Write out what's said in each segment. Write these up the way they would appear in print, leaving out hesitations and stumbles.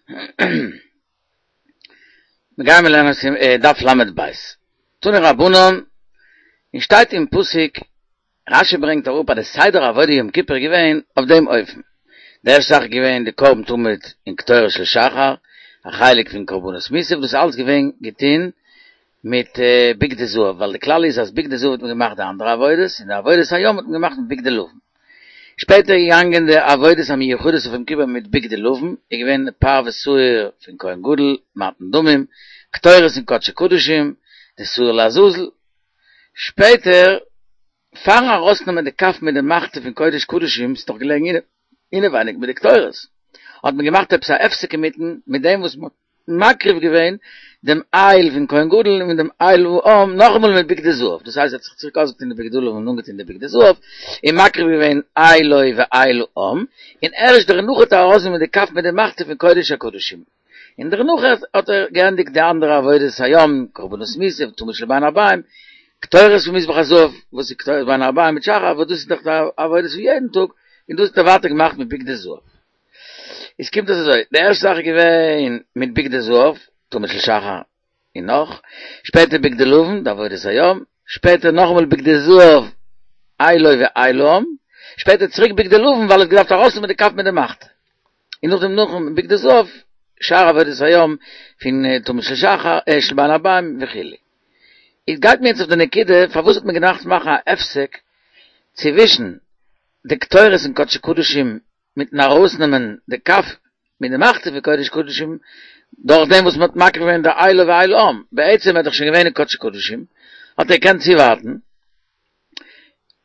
מיר גייען לערנען דף ל' בית. תנו רבנן, און שטייט אין פסוק, רשי ברענגט אראפ אז די סדר עבודה יום כיפור איז געווען אויף דעם אופן, די ערשטע זאך איז געווען די קרבן תמיד און קטורת של שחר, א חלק פון קרבנות מוסף, דאס איז אלץ געווען געטון מיט בגדי זהב, ווייל די כלל איז אז בגדי זהב האט מען געמאכט די אנדערע עבודות, און די עבודת היום האט מען געמאכט מיט בגדי לבן. שפעטער איז געגאנגען די עבודות המיוחדות אויף יום כיפור מיט בגדי לבן, איז געווען פר ושעיר פון כהן גדול, מתן דמים, קטורת אין קדשי קדשים, די שעיר לעזאזל. שפעטער, פארן ארויסנעמען די כף מיט די מחתה פון קודש קדשים, ס'איז דאך געלעגן אינעווייניג מיט די קטורת, האט מען געמאכט עפעס א הפסק אינמיטן מיט דעם וואס מ'האט מקריב געווען דעם איל פון כהן גדול און דעם איל העם נאכאמאל מיט בגדי זהב, דאס הייסט ער האט זיך צוריק אויסגעטון די בגדי לבן און אנגעטון די בגדי זהב, און מקריב געווען אילו ואיל העם, און ערשט דערנאך האט ער ארויסגענומען די כף מיט די מחתה פון קודש הקדשים, און דערנאך האט ער געענדיגט די אנדערע עבודת היום, קרבנות מוסף, תמיד של בין הערביים, קטורת פון מזבח הזהב, וואס איז קטורת בין הערביים מיט שחר, וואס דאס איז דאך די עבודות פון יעדן טאג, און דאס האט ער ווייטער געמאכט מיט בגדי זהב. עס קומט אויס אזוי, די ערשטע זאך איז געווען מיט בגדי זהב, תמיד של שחר און נאך, שפעטער בגדי לבן, די עבודת היום, שפעטער נאכאמאל בגדי זהב, אילו ואיל העם, שפעטער צוריק בגדי לבן ווייל ער האט געדארפט ארויסנעמען די כף מיט די מחתה, און נאכדעם נאכן בגדי זהב, שאר עבודת היום פון תמיד של שחר, של בין הערביים וכו'. איז גייט מען יעצט אויף די נקודה פארוואס האט מען געדארפט מאכן א הפסק צווישן די קטורת אין קדשי קדשים מיטן ארויסנעמען די כף מיט די מחתה פון קודש קדשים, דורך דעם וואס מען האט מקריב געווען די אילו ואיל העם, בעצם ער איז דאך שוין געווען אין קדשי קדשים, האט ער געקענט צואווארטן,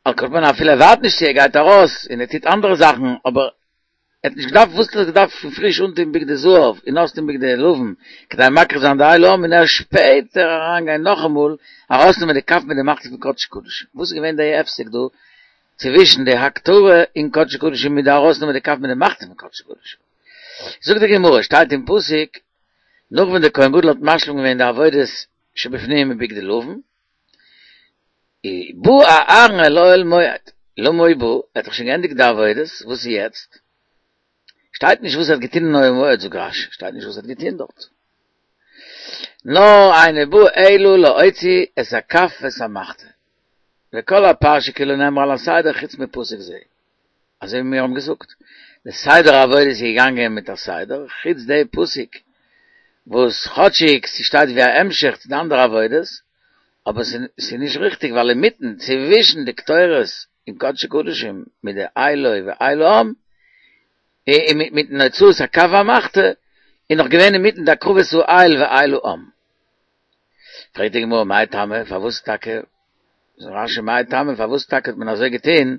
על כל פנים אפילו ער ווארט נישט צו ער גייט ארויס און ער טוט אנדערע זאכן, אבער ער האט נישט געדארפט, וואס האט ער געדארפט פון פריש אנטון בגדי זהב און אויסטון בגדי לבן, כדי מקריב זיין די איל העם און ערשט שפעטער אריינגיין נאכאמאל ארויסנעמען די כף מיט די מחתה פון קדשי קדשים, וואס איז געווען די הפסק דא צווישן די הקטרה אין קדשי קדשים מיט די ארויסנעמען די כף מיט די מחתה פון קדשי קדשים. זאגט די גמרא, שטייט אין פסוק, נאך ווען דער כהן גדול האט משלים געווען די עבודות שבפנים מיט בגדי לבן, בא אהרן אל אוהל מועד, למה הוא בא, ער האט דאך שוין געענדיגט די עבודות, וואס איז יעצט? שטייט נישט וואס ער האט געטון אין אוהל מועד, זאגט רש"י, שטייט נישט וואס ער האט געטון דארט. נאר אינו בא אלא להוציא את הכף ואת המחתה. וכל הפרשה כולה נאמרה על הסדר חוץ מפסוק זה. אזוי ווי מיר האבן געזאגט, די סדר העבודה איז געגאנגען מיט א סדר, חוץ די פסוק וואס כאטשיג ס'שטייט ווי א המשך צו די אנדערע עבודות, אבער ס'איז נישט ריכטיג ווייל אינמיטן צווישן די קטורת אין קדשי קדשים מיט די אילו ואיל העם, און מיטן הוצאת הכף והמחתה, איז נאך געווען אינמיטן די הקרבת האיל ואיל העם. פרעגט די גמרא מאי טעמא, פארוואס טאקע, זאגט רש"י מאי טעמא, פארוואס טאקע האט מען אזוי געטון,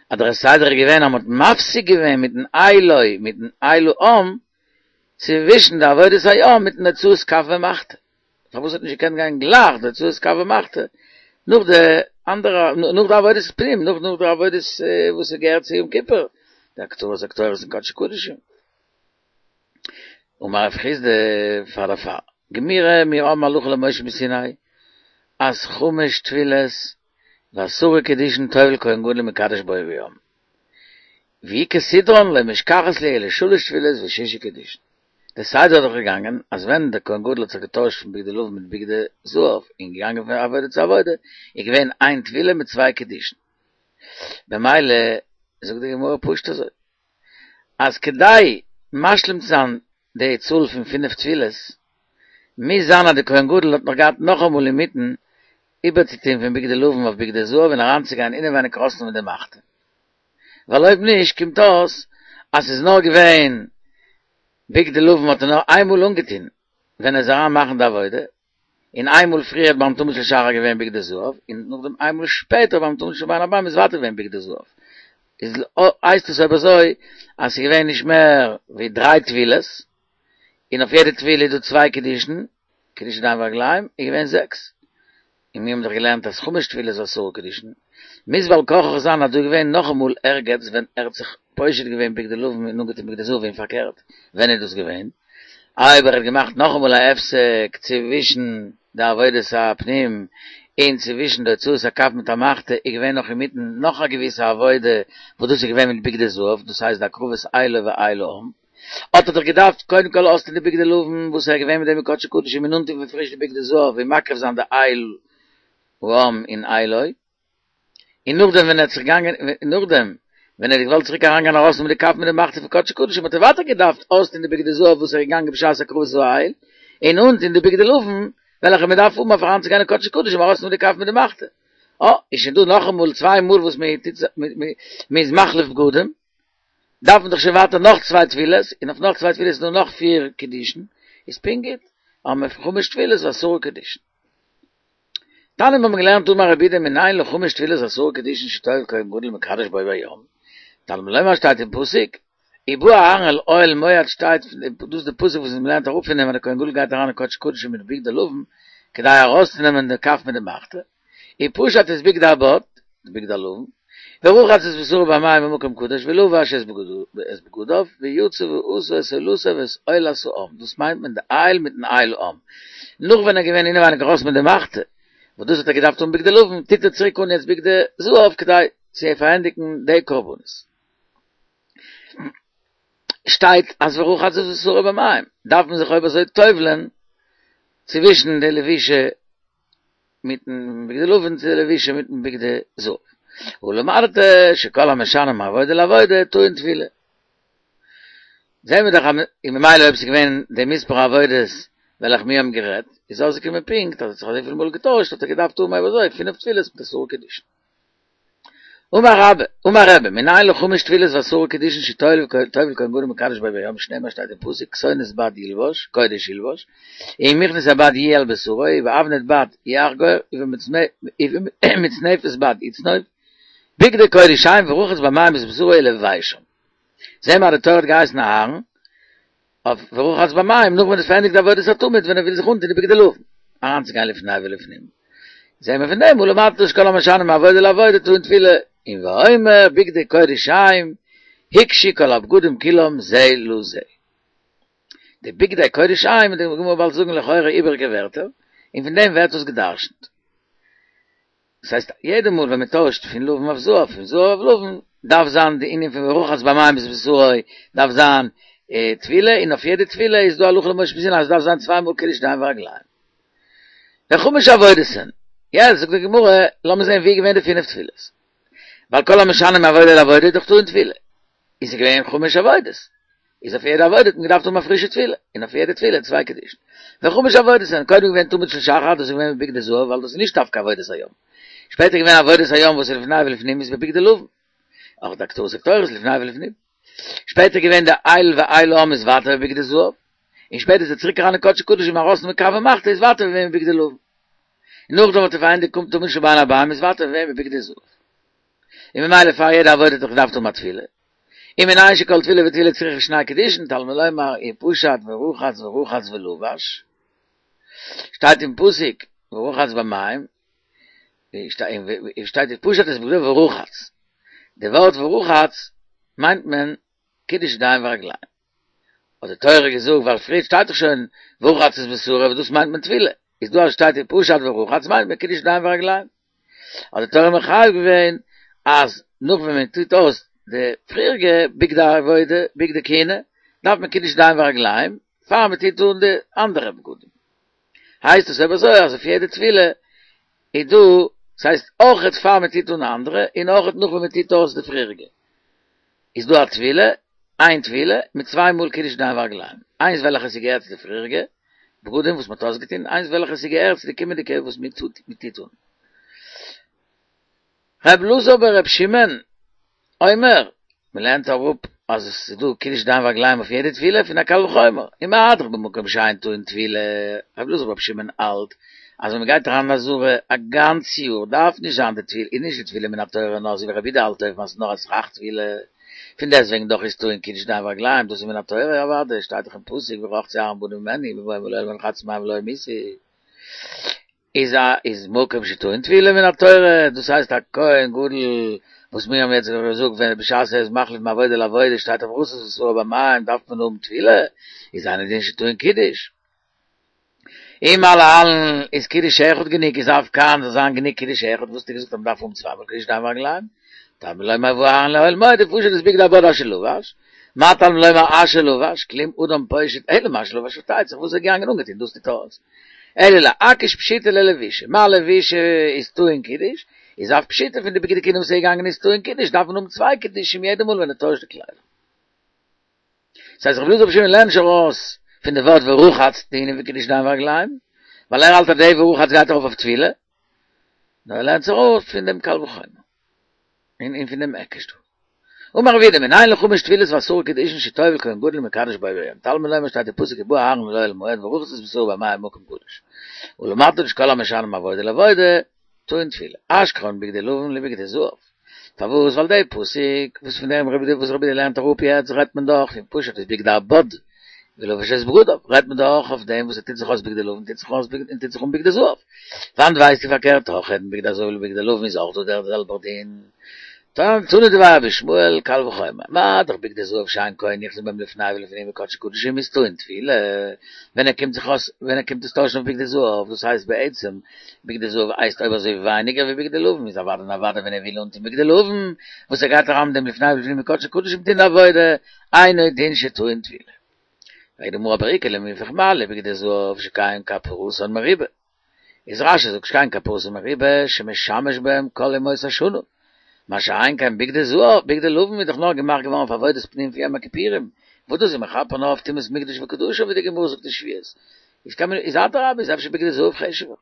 אז דער סדר איז געווען אז מען האט מפסיק געווען מיטן אילו מיטן איל העם, צווישן די עבודת היום מיטן הוצאת כף ומחתה, פארוואס האט נישט געקענט גיין גלייך די הוצאת כף ומחתה נאך די אנדערע, נאך די עבודת פנים, נאך נאך די עבודות וואס איז געהערט צו יום כיפור, די הקטרת הקטורת אין קדשי קדשים. אמר רב חסדא פאר דערפאר גמירי מיר האבן הלכה למשה מסיני אז חמש טבילות ועשרה קידושין טובל כהן גדול ומקדש בו ביום ואי כסדרן לא משכחת להו אלא שלש טבילות וששה קידושין. די סדר איז דאך געגאנגען אז ווען דער כהן גדול האט זיך געטוישט פון בגדי לבן מיט בגדי זהב און געגאנגען פון עבודה צו עבודה איז געווען איין טבילה מיט צוויי קידושין במילא זאגט די גמרא פשוט אזוי אז כדי משלים צו זיין די צאל פון פינף טבילות, מוז זיין אז די כהן גדול האט נאך געהאט נאכאמאל אינמיטן איבערצוטון פון בגדי לבן אויף בגדי זהב און אריינצוגיין אינעווייניג ארויסנעמען די מחתה. ווייל אויב נישט קומט אויס אז ס'איז נאר געווען בגדי לבן האט ער נאר איינמאל אנגעטון ווען ער איז אריין מאכן די עבודה, און איינמאל פריער ביים תמיד של שחר געווען בגדי זהב, און נאכדעם איינמאל שפעטער ביים תמיד של בין הערבים איז ווייטער געווען בגדי זהב. איז הייסט עס אויב אזוי אז ס'איז געווען נישט מער ווי דריי טבילות, און אויף יעדע טבילה איז דא צוויי קידושין, קידוש ידיים ורגליים, איז געווען זעקס. און מיר האבן דאך געלערנט אז חמש טבילות ועשרה קידושין, מוז בעל כרחך זיין אז דא איז געווען נאכאמאל ערגעץ ווען ער האט זיך פושט געווען בגדי לבן און אנגעטון בגדי זהב און פארקערט, ווען איז דאס געווען? אויב ער האט געמאכט נאכאמאל א הפסק צווישן די עבודת הפנים און צווישן די הוצאת הכף מיט המחתה איז געווען נאך אינמיטן נאך א געוויסע עבודה וואס דאס איז געווען מיט בגדי זהב דאס הייסט די הקרבת אילו ואיל העם. האט ער דאך געדארפט קודם כל אויסטון די בגדי לבן וואס ער איז געווען מיט דעם אין קדשי קדשים און אנטון פון פריש די בגדי זהב און מקריב זיין די איל העם און אילו. און נאכדעם ווען ער האט זיך געגאנגען און נאכדעם ווען ער האט געוואלט צוריק אריינגיין ארויסנעמען די כף מיט די מחתה פון קדשי קדשים האט ער ווייטער געדארפט אויסטון די בגדי זהב וואס ער איז געגאנגען בשעת הקרבת האיל און אנטון די בגדי לבן וועלכע מען דארף האבן אויף אריינצוגיין אין קדשי קדשים ארויסנעמען די כף מיט די מחתה. אה, איז שוין דא נאכאמאל צוויי מאל וואס מען טוט מען איז מחליף בגדים, דארף מען דאך שוין ווייטער נאך צוויי טבילות, און אויף נאך צוויי טבילות איז דא נאך פיר קידושין, איז פונקט גוט, האבן מיר חמש טבילות ועשרה קידושין. תניא האבן מיר געלערנט אמר רבי יהודה מנין לחמש טבילות ועשרה קידושין שטובל כהן גדול ומקדש בו ביום, תלמוד לומר שטייט אין פסוק, ובא אהרן אל אוהל מועד שטייט דאס איז די פסוק וואס מען לערנט אראפ פון דעם אז דער כהן גדול גייט אריין אין קדשי קדשים מיט בגדי לבן כדי ארויסצונעמען די כף מיט די מחתה, ופשט את בגדי הבד, די בגדי הלבן, ורחץ את בשרו במים במקום קדוש ולבש את בגדיו, ויצא ועשה את עולתו ואת עולת העם, דאס מיינט מען די איל מיטן איל העם. נאך ווען ער איז געווען אינעווייניג ארויס מיט די מחתה, וואס דאס האט ער געדארפט האבן בגדי לבן, טוט ער צוריק אן יעצט בגדי זהב כדי צו פארענדיגן די קרבנות. שטייט אז ורחץ את בשרו במים, דארף מען זיך אויב אזוי טובל'ען צווישן די לבישה מיטן בגדי לבן צו די לבישה מיטן בגדי זהב. ולמדת שכל המשנה מעבודה לעבודה טעון טבילה. זעהן מיר דאך אז ממילא אויב ס'איז געווען די מספר עבודות וועלכע מיר האבן גערעדט, איז אויסגעקומען פונקט אז עס האט זיך אזויפיל מאל געטוישט האט ער געדארפט האבן אויב אזוי פינף טבילות מיט עשרה קידושין. אמר רבה, אמר רבי, מנין לחמש טבילות ועשרה קידושין שטובל כהן גדול ומקדש בו ביום שנאמר שטייט אין פסוק כתונת בד ילבש, קודש ילבש, ובמכנסי בד יהיה על בשרו, ובאבנט בד יחגור, ובמצנפת בד יצנוף, בגדי קודש הם ורחץ במים את בשרו ולבשם. זעהן מיר אז די תורה האט געהייסן אהרן אויף ורחץ במים נאך ווען ער האט פארענדיגט די עבודת התמיד ווען ער וויל זיך אנטון די בגדי לבן אריינצוגיין לפני ולפנים זעהן מיר פון דעם ולמדת שכל המשנה מעבודה לעבודה טעון טבילה און ואומר בגדי קודש הם הוקשו כל הבגדים כולם זה לזה די בגדי קודש הם וועט די גמרא באלד זאגן לכאורה איבעריגע ווערטער און פון דעם ווערט עס גע'דרש'נט. דאס הייסט יעדע מאל ווען מען טוישט פון לבן אויף זהב פון זהב אויף לבן דארף זיין די ענין פון ורחץ במים את בשרו דארף זיין טבילה און אויף יעדע טבילה איז דא הלכה למשה מסיני אז עס דארף זיין צוויי מאל קידוש ידיים ורגליים. וחמש עבודות הן. יעצט זאגט די גמרא לאמיר זען ווי איז געווען די פינף טבילות. ווייל כל המשנה מעבודה לעבודה איז דאך טעון טבילה. איז עס געווען חמש עבודות. איז אויף יעדע עבודה האט מען געדארפט האבן א פרישע טבילה, און אויף יעדע טבילה צוויי קידושין. וחמש עבודות הן, קודם געווען תמיד של שחר, דאס איז געווען בבגדי זהב, ווייל דאס איז נישט דווקא עבודת היום. שפעטער געווען עבודת היום וואס איז לפני ולפנים איז בבגדי לבן. אויך די הקטרת הקטורת איז לפני ולפנים. שפעטער געווען די איל ואיל העם איז ווייטער בבגדי זהב. און שפעטער איז ער צוריק אריין אין קדשי קדשים ארויסנעמען כף ומחתה איז ווייטער געווען בבגדי לבן. און נאכדעם האט ער פארענדיגט קומט תמיד של בין הערבים איז ווייטער געווען בבגדי זהב. און ממילא פאר יעדע עבודה האט ער געדארפט האבן א טבילה. ומנין שכל טבילה וטבילה צריכה שני קידושין, תלמוד לומר ופשט ורחץ ורחץ ולבש, שטייט אין פסוק ורחץ במים, שטייט ופשט את בגדיו ורחץ, די ווארט ורחץ מיינט מען קידוש ידיים ורגליים. האט די תורה געזאגט ווייל פריער שטייט דאך שוין ורחץ את בשרו וואס דאס מיינט מען טבילה, איז דא אז שטייט ופשט ורחץ מיינט מען קידוש ידיים ורגליים. האט די תורה מחייב געווען אז נאך ווען מען טוט אויס די פריעריגע בגדי עבודה, בגדי כהונה, דארף מען קידוש ידיים ורגליים פאר מען טוט אן די אנדערע בגדים. הייסט עס אויב אזוי אז אויף יעדע טבילה איז דא, ס'הייסט אויכעט פאר מען טוט אן אנדערע און אויכעט נאך ווען מען טוט אויס די פריעריגע. איז דא א טבילה, איין טבילה, מיט צוויי מאל קידוש ידיים ורגליים, איינס וועלכע ס'געהערט צו די פריעריגע בגדים וואס מ'האט אויסגעטון, איינס וועלכע ס'געהערט צו די קומענדיגע וואס מ'טוט אן. ר' אלעזר בר' שמעון אומר, מ'לערנט אראפ אז עס איז דא קידוש ידיים ורגליים אויף יעדע טבילה פון א קל וחומר, ומה דאך במקום שאין טעון טבילה, ר' אלעזר בר' שמעון האלט אז ווען מ'גייט אריין אין עזרה א גאנץ יאר דארף נישט זיין די טבילה, איז נישט די טבילה מן התורה נאר אזוי ווי רבי יהודה האלט אויבן אז ס'איז נאר א סכך טבילה, פון דעסטוועגן דאך איז טעון קידוש ידיים ורגליים, דאס איז מן התורה אוודאי, שטייט דאך אין פסוק ורחצו אהרן ובניו ממני בבואם אל האהל מועד ורחצו במים ולא ימותו. איז א איז מקום שטעון טבילה מן התורה, דאס הייסט א כהן גדול וואס מיר האבן יעצט געזאגט ווען בשעת ער איז מחליף מעבודה לעבודה שטייט אויף ורחץ את בשרו במים דארף מען האבן טבילה, איז אינו דין שטעון קידוש. אם להלן איז קידוש אחד גענוג איז אף כאן זאל זיין גענוג קידוש אחד וואס האסטו געזאגט אז מ'דארף האבן צוויי מאל קידוש ידיים ורגליים? תלמוד לומר ובא אהרן אל אוהל מועד ופשט את בגדי הבד אשר לבש. מה תלמוד לומר אשר לבש, כלום אדם פושט אלא מה שלבש פארשטייט זיך וואס איז געגאנגען אנגעטון דאס טוט אויס. אלא להקיש פשיטא ללבישה, מה לבישה איז טעון קידוש, איז אף פשיטא פון די בגדי כהונה וואס איז געגאנגען איז טעון קידוש, דארף מען האבן צוויי קידושים יעדע מאל ווען ער טוישט די קליידער. ס'הייסט רבי אלעזר ברבי שמעון לערנט נישט ארויס פון די ווארט ורחץ די ענין פון קידוש ידיים ורגליים, ווייל ער האלט אז די ורחץ גייט ארויף אויף טבילה, נאר ער לערנט עס ארויס פון דעם קל וחומר, און פון דעם היקש דא. אמר רב יהודה מנין לחמש טבילות ועשרה קידושין שטובל כהן גדול ומקדש בו ביום תלמוד לומר שטייט אין פסוק ובא אהרן אל אוהל מועד ורחץ את בשרו במים במקום קדוש ולמדת שכל המשנה מעבודה לעבודה טעון טבילה אשכחן בגדי לבן לבגדי זהב פארוואס ווייל די פסוק וואס פון דעם רבי וואס רבי יהודה לערנט אראפ יעצט רעדט מען דאך פון פשט את בגדי הבד ולבש את בגדיו רעדט מען דאך אויף דעם וואס ער טוט זיך אויס בגדי לבן טוט זיך אויס און טוט זיך אן בגדי זהב וואנעט ווייסטו פארקערט אויך בגדי זהב לבגדי לבן איז אויך דא דער זעלבער דין תנא דבי רבי ישמעאל קל וחומר, מה דאך בגדי זהב שאין כהן נכנס בהם לפני ולפנים בקדשי קדשים איז טעון טבילה, ווען ער קומט זיך אויס ווען ער קומט עס טוישן אויף בגדי זהב, דאס הייסט בעצם בגדי זהב הייסט אויב אזוי ווייניגער ווי בגדי לבן איז אוודאי און אוודאי ווען ער וויל אנטון בגדי לבן וואס ער גייט אריין מיט דעם לפני ולפנים בקדשי קדשים טון די עבודה, אינו דין שטעון טבילה. פרעגט די גמרא אבער איכא למיפרך מה לבגדי זהב שכן כפרתן מרובה. איז רש"י זאגט שכן כפרתן מרובה שמשמש בהם כל ימות השנה, מה שאין כן בגדי זהב, בגדי לבן איז דאך נאר געמאכט געווארן אויף עבודת פנים פון יום הכיפורים, וואס דאס איז מכפר נאר אויף טומאת מקדש וקדשיו ווי די גמרא זאגט אין שבועות, איז קען מען איז אדרבה איז אפשר בגדי זהב חשוב'ער.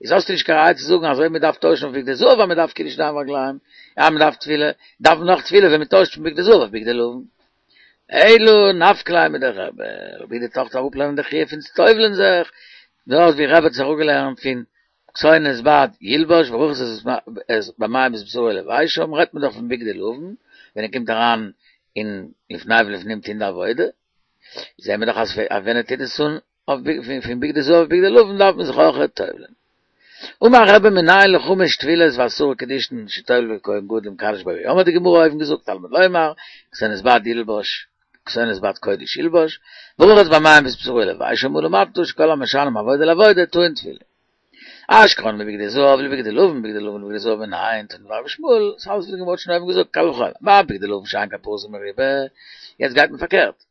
איז האסטו נישט קיין ראיה צו זאגן אז אויב מען דארף טוישן אויף בגדי זהב אז מען דארף קידוש ידיים ורגליים, אז מען דארף טבילה, דארף מען נאך טבילה ווען מען טוישט פון בגדי זהב אויף בגדי לבן. אלא נפקא ליה מדרבי, רבי יהודה טוט אראפלערנען די חיוב פון צו טובל'ען זיך, דארט ווי רבי האט עס אראפגעלערנט פון כתונת בד ילבש ורחץ את במים את בשרו ולבשם, רעדט מען דאך פון בגדי לבן, ווען ער קומט אריין אין לפני ולפנים טוהן די עבודה, זעהן מיר דאך אז ווען ער טוט עס אן אויף פון בגדי זהב אויף בגדי לבן דארף מען זיך אויך טובל'ען. אמר רבי מנין לחמש טבילות ועשרה קידושין שטובל כהן גדול ומקדש בו ביום האט די גמרא אויבן געזאגט תלמוד לומר כתונת בד ילבש כתונת בד קודש ילבש ורחץ במים את בשרו ולבשם ולמדת שכל המשנה מעבודה לעבודה טעון טבילה. אשכחן מבגדי זהב לבגדי לבן בגדי לבן לבגדי זהב מנין תנא דבי רבי ישמעאל ס'אלעס וואס די גמרא האט שוין אויבן געזאגט קל וחומר מה בגדי לבן שאין כפרתן מרובה יעצט גייט מען פארקערט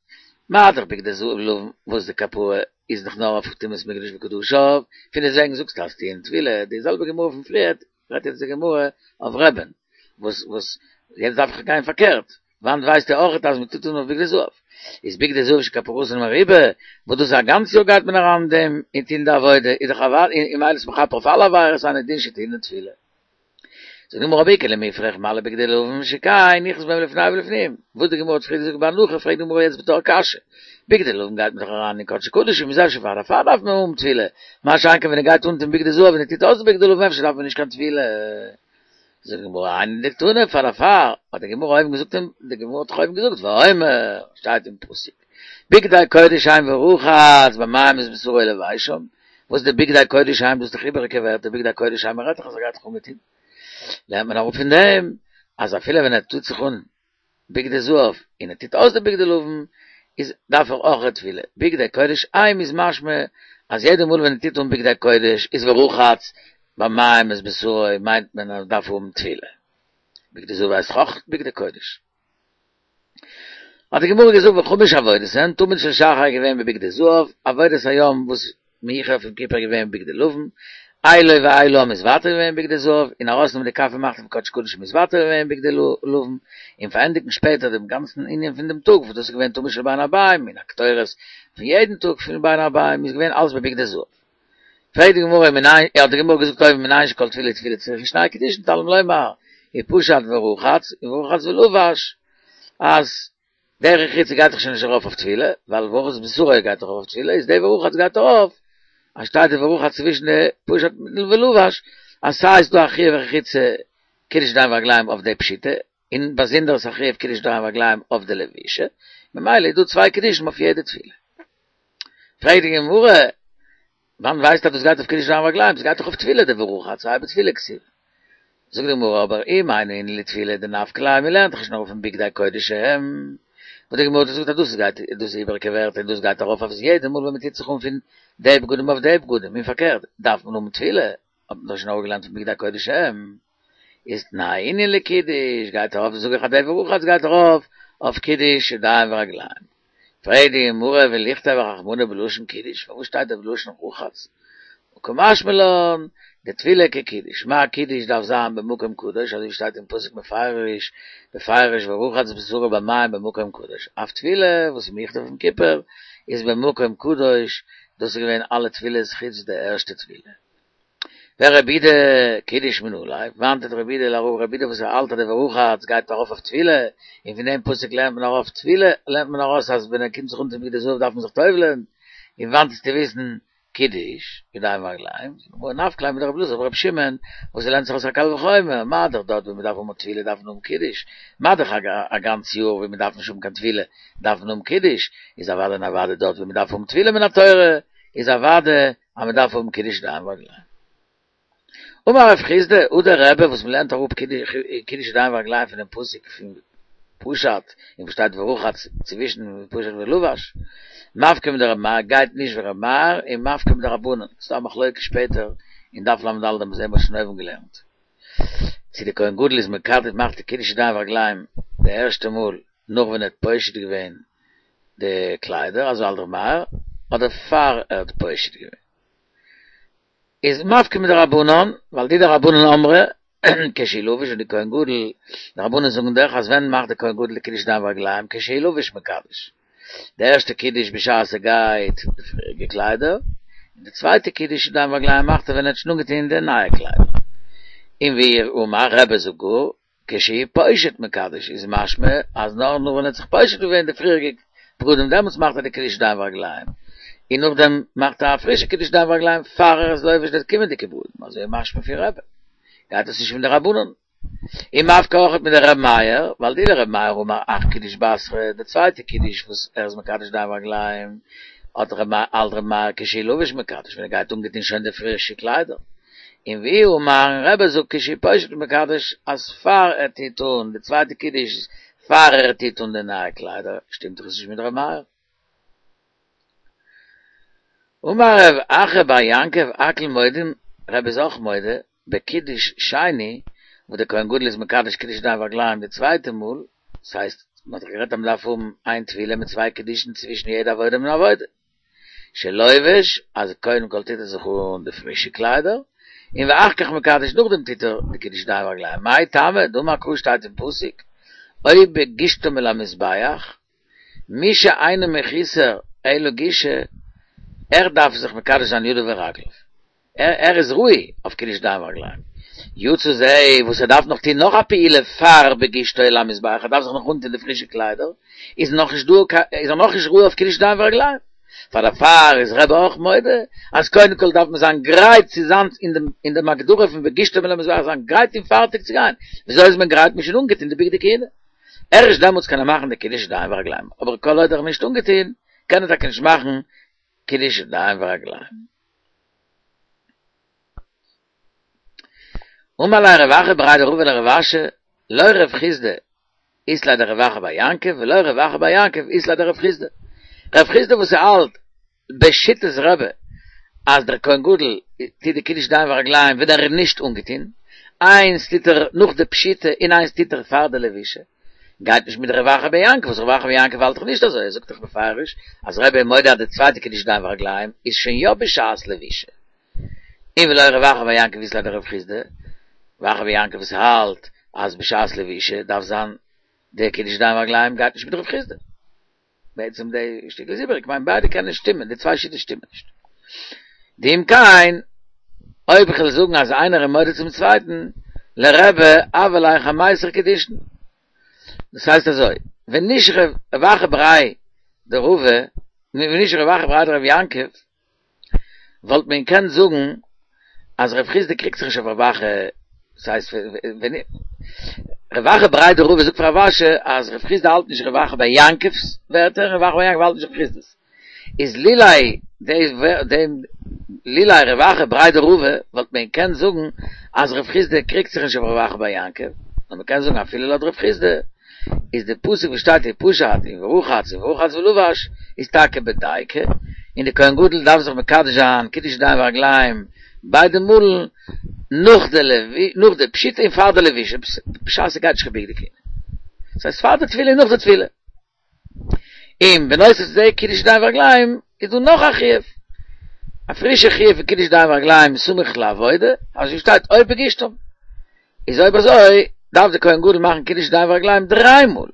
מה דאך בגדי לבן וואס די כפרה איז דאך נאר אויף טומאת מקדש וקדשיו, פון דעסוועגן זאגסטו אז טעון טבילה, די זעלבע גמרא פון פריערט רעדט יעצט די גמרא אויף רבי'ן, וואס וואס יעצט דארף איך גיין פארקערט, וואנעט ווייסטו אויכעט אז מען טוט אן אויף בגדי זהב, איז בגדי זהב שכפרתן מרובה, וואס דאס א גאנץ יאר גייט מען אריין אין דעם און טון די עבודה, איז דאך אוודאי און ממילא איז מכפר אויף אלע עבירות אינו דין שטעון טבילה. זאגט די גמרא אבער איכא למיפרך מה לבגדי לבן שכן נכנס בהם לפני ולפנים, וואס די גמרא האט פריער געזאגט בהנחה פרעגט די גמרא יעצט בתור קשיא, בגדי לבן גייט מען דאך אריין אין קדשי קדשים איז אפשר פאר דערפאר דארף מען האבן טבילה, מה שאין כן ווען ער גייט אנטון בגדי זהב און ער טוט אויס די בגדי לבן אפשר דארף מען נישט קיין טבילה. זאגט די גמרא היינו דקתני פאר דערפאר האט די גמרא אויבן געזאגט און די גמרא האט דאך אויבן געזאגט ואומר שטייט אין פסוק בגדי קודש הם ורחץ במים את בשרו ולבשם וואס די בגדי קודש הם דאס איז דאך איבעריגע ווערטער בגדי קודש הם מ'רעדט דאך אז ער גייט זיך אנגעטון לערנט מען אראפ פון דעם אז אפילו ווען ער טוט זיך אן בגדי זהב און ער טוט אויס די בגדי לבן איז דארף ער אויך א טבילה בגדי קודש הם איז משמע אז יעדע מאל ווען ער טוט אן בגדי קודש איז ורחץ במים את בשרו מיינט מען אז מ'דארף האבן טבילה בגדי זהב הייסט אויך בגדי קודש. האט די גמרא געזאגט וחמש עבודות הן תמיד של שחר איז געווען בבגדי זהב, עבודת היום וואס מיוחד אויף יום כיפור איז געווען בבגדי לבן, אילו ואיל העם איז ווייטער געווען בבגדי זהב, און ארויסנעמען די כף ומחתה פון קדשי קדשים איז ווייטער געווען בבגדי לבן, און פארענדיגן שפעטער דעם גאנצן ענין פון דעם טאג וואס דאס איז געווען תמיד של בין הערביים און הקטורת פון יעדן טאג פון בין הערביים איז געווען אלס בבגדי זהב. פרעגט די גמרא מנין, האט די גמרא געזאגט אויבן מנין שכל טבילה וטבילה צריכה שני קידושין תלמוד לומר, ופשט ורחץ, ורחץ ולבש, אז די רחיצה גייט דאך שוין נישט ארויף אויף טבילה, ווייל ורחץ בשרו גייט דאך ארויף אויף טבילה, איז די ורחץ גייט ארויף, אז שטייט די ורחץ צווישן די פשט ולבש, אז סיי איז דא א חיוב רחיצה קידוש ידיים ורגליים אויף די פשיטה, און באזונדער איז א חיוב קידוש ידיים ורגליים אויף די לבישה, ממילא איז דא צוויי קידושים אויף יעדע טבילה. פרעגט די גמרא, וואנעט ווייסטו אז דאס גייט אויף קידוש ידיים ורגליים? עס גייט דאך אויף טבילה די ורחץ, האי בתפילה כתיב. זאגט די גמרא, אבער אם היינו ענין לטבילה דנפקא ליה, מען לערנט דאך נישט נאר פון בגדי קודש הם, וואס די גמרא האט געזאגט אז דאס גייט, דאס איז איבעריגע ווערטער און דאס גייט ארויף אויף יעדע מאל ווען מען טוט זיך אן פון די בגדים אויף די בגדים, און פארקערט, דארף מען האבן טבילה, האט מען דאך שוין אראפגעלערנט פון בגדי קודש הם, איז תנאי ענין לקידוש, גייט ארויף זאג איך אז די ורחץ גייט ארויף. אויף קידוש ידיים ורגליים. פרעגט די גמרא ולכתוב רחמנא בלשון קידוש, פארוואס שטייט דא בלשון רחץ? קא משמע לן, דטבילה כקידוש, מה קידוש דארף זיין במקום קדוש, אזוי ווי שטייט אין פסוק מפרש, בפירוש ורחץ בשרו במים במקום קדוש, אף טבילה וואס איז מיוחד אויף יום כיפור איז במקום קדוש, דאס איז געווען אלע טבילות חוץ די ערשטע טבילה. ורבי יהודה קידוש מנא ליה, וואנעט רבי יהודה לרב רבי יהודה וואס ער האלט אז די ורחץ גייט ארויף אויף טבילה, און פון דעם פסוק לערנט מען ארויף טבילה, לערנט מען ארויס אז ווען ער קומט זיך אן צום בגדי זהב דארף מען זיך טובל'ען, און וואנעט איז צו וויסן קידוש, ידיים ורגליים, נפקא ליה מדרבי אלעזר ברבי שמעון, וואס ער לערנט זיך אויס א קל וחומר, מה דאך דארט ווי מען דארף האבן א טבילה דארף מען האבן קידוש, מה דאך א גאנץ יאר ווי מען דארף נישט האבן קיין טבילה דארף מען האבן קידוש, איז אוודאי און אוודאי דארט ווי מען דארף האבן טבילה מן התורה, איז אוודאי אז מען דארף האבן קידוש ידיים ורגליים. אמר רב חסדא, הא דרבי וואס מען לערנט אראפ קידוש ידיים ורגליים פונעם פסוק פון פשט און וואס שטייט ורחץ צווישן פשט ולבש, מפקא מדרבי מאיר גייט נישט ווי רבי מאיר און מפקא מדרבנן, ס'דא א מחלוקה שפעטער אין דף לד האבן מיר שוין אויבן געלערנט צו די כהן גדול איז מקדש מאכט די קידוש ידיים ורגליים די ערשטע מאל נאך ווען ער האט פושט געווען די קליידער אזוי האלט רבי מאיר אדער פאר ער האט פושט געווען. איז מפקא מדרבנן, ווייל דאי דרבנן אמרי, כשהוא לבוש און די כהן גדול, די רבנן זאגן דאך אז ווען מאכט די כהן גדול די קידוש ידיים ורגליים כשהוא לבוש מקדש, די ערשטע קידוש בשעת ער גייט די פריעריגע קליידער, און די צווייטע קידוש ידיים ורגליים מאכט ער ווען ער האט שוין אנגעטון די נייע קליידער. און ואי אמר רבי זאגט גאר, כשהוא פושט מקדש איז משמע אז נאר נאך ווען ער האט זיך פושט געווען די פריעריגע בגדים דעמאלטס מאכט ער די קידוש ידיים ורגליים, און נאכדעם מאכט ער א פרישע קידוש ידיים ורגליים פאר ער איז לובש די קומענדיגע בגדים, אזוי איז משמע פון רבי גייט עס נישט פון די רבנן. און מפקא אויכעט מדרבי מאיר, ווייל דאי לרבי מאיר האמר אחר קידוש בתרא, די צווייטע קידוש וואס ער איז מקדש ידיים ורגליים, האט ר' מאיר האלט ר' מאיר כשהוא לבוש מקדש ווען ער גייט אנגעטון שוין די פרישע קליידער, און ואי אמר און רבי זאגט כשהוא פושט מקדש אז פאר ער טוט אן די צווייטע קידוש פאר ער טוט אן די נייע קליידער, שטימט דאך עס נישט מיט ר' מאיר. אמר רב אחא בר יעקב הכל מודים, רבי איז אויך מודה, בקידוש שני, וואס דער כהן גדול איז מקדש קידוש ידיים ורגליים די צווייטע מאל, דאס הייסט, מען האט דאך גערעדט אז מען דארף האבן איין טבילה מיט צוויי קידושין צווישן יעדע עבודה און עבודה. שלובש, אז קודם כל טוט ער זיך אן די פרישע קליידער, און ואחר כך מקדש נאכדעם טוט ער די קידוש ידיים ורגליים, מאי טעמא, דאמר קרא שטייט אין פסוק, או בגשתם אל המזבח, מי שאינו מחוסר אלא גישה, ער דארף זיך מקדש זיין ידיו ורגליו. ער איז ראוי אויף קידוש ידיים ורגליים. יצא זה וואס ער דארף נאך טון נאך א פעולה פאר בגשתו אל המזבח, ער דארף זיך נאך אנטון די פרישע קליידער, איז נאך נישט דא איז ער נאך נישט ראוי אויף קידוש ידיים ורגליים. פאר דערפאר איז רבי אויך מודה אז קודם כל דארף מען זיין גרייט צו זיין אין דעם אין דעם הגדרה פון בגשתו אל המזבח זיין גרייט און פארטיג צו גיין. וויאזוי איז מען גרייט? מ'איז שוין אנגעטון די בגדי כהונה. ערשט דעמאלטס קען ער מאכן די קידוש ידיים ורגליים, אבער כל עוד ער איז נישט אנגעטון קען ער טאקע נישט מאכן קידוש ידיים ורגליים. אמר ליה רב אחא בריה דרבא לרב אשי, לא רב חסדא אית ליה דרב אחא בר יעקב ולא רב אחא בר יעקב אית ליה דרב חסדא. רב חסדא וואס האלט בשיטת רבי אז דער כהן גדול טוט די קידוש ידיים ורגליים ווען ער איז נישט אנגעטון, איינס טוט ער נאך די פשיטה און איינס טוט ער פאר די לבישה, גייט נישט מיט רב אחא בר יעקב, וואס רב אחא בר יעקב האלט דאך נישט אזוי, ער זאגט דאך בפירוש אז רבי איז מודה אז די צווייטע קידוש ידיים ורגליים איז שוין יא בשעת לבישה. און ולא רב אחא בר יעקב אית ליה דרב חסדא, רב אחא בר יעקב וואס האלט אז בשעת לבישה דארף זיין די קידוש ידיים ורגליים גייט נישט מיט רב חסדא. בעצם די שטיקל איז איבעריג, כ'מיין ביידע קענען שטימען, די צוויי שיטות שטימען נישט. דאם כן, אויב איך וועל זאגן אז איינער איז מודה צום צווייטן, לרבי הוה ליה חמיסר קידושין. דאס הייסט אזוי, ווען נישט רב אחא בריה דרבא, ווען נישט רב אחא בריה דרב יעקב, וואלט מען געקענט זאגן אז רב חסדא קריגט זיך נישט אויף רב אחא, דאס הייסט ווען רב אחא בריה דרבא זאגט פאר רב אשי אז רב חסדא האלט נישט רב אחא בר יעקב'ס ווערטער און רב אחא בר יעקב האלט נישט רב חסדא'ס, איז לולי דעם לולי רב אחא בריה דרבא וואלט מען געקענט זאגן אז רב חסדא קריגט זיך נישט אויף רב אחא בר יעקב, נאר מען קען זאגן אפילו לויט רב חסדא איז די פסוק וואס שטייט ופשט און ורחץ און ורחץ ולבש איז טאקע בדייקא, און די כהן גדול דארף זיך מקדש זיין קידוש ידיים ורגליים ביידע מאלן נאך די נאך די פשיטה און פאר די לבישה בשעת ער גייט נישט קיין בגדי כהונה, דאס הייסט פאר די טבילה און נאך די טבילה. און בנוסף צו די קידוש ידיים ורגליים איז דא נאך א חיוב, א פרישע חיוב פון קידוש ידיים ורגליים סמוך לעבודה, אזוי שטייט או בגישתם. איז אויב אזוי דארף די כהן גדול מאכן קידוש ידיים ורגליים דריי מאל,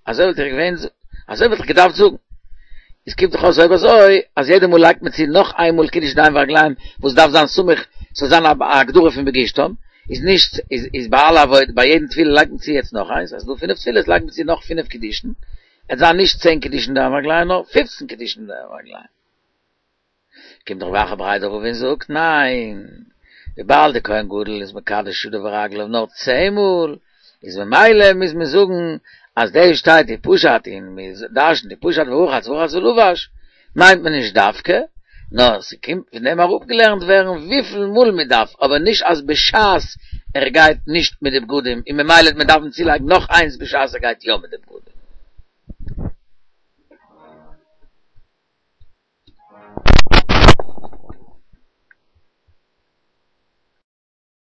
אזוי וואלט איך געווען, אזוי וואלט איך געדארפט זאגן. איז קומט דאך אויס אויב אזוי אז יעדע מאל לייגט מען צו נאך איין מאל קידוש ידיים ורגליים וואס דארף זיין סמוך ס'זאל זיין א הגדרה פון בגישתם, איז נישט איז איז ביי אלע עבודות ביי יעדן טבילה לייגט מען צו יעצט נאך איינס, אז ס'דא פינף טבילות לייגט מען צו נאך פינף קידושין, עט זיין נישט צען קידושין ידיים ורגליים נאר פופצן קידושין ידיים ורגליים. קומט דאך רב אחא בריה דרבא און זאגט ניין, וויבאלד די כהן גדול איז מקדש ידיו ורגליו נאר צען מאל, איז ממילא מוז מען זאגן אז דאס שטייט ופשט און מען דרש'נט ופשט ורחץ ורחץ ולבש מיינט מען נישט דווקא, נאר ס'קומט פון דעם אראפגעלערנט ווערן וויפיל מאל מען דארף, אבער נישט אז בשעת ער גייט נישט מיט די בגדים און ממילא וועט מען דארפן צולייגן נאך איינס בשעת ער גייט יא מיט די בגדים.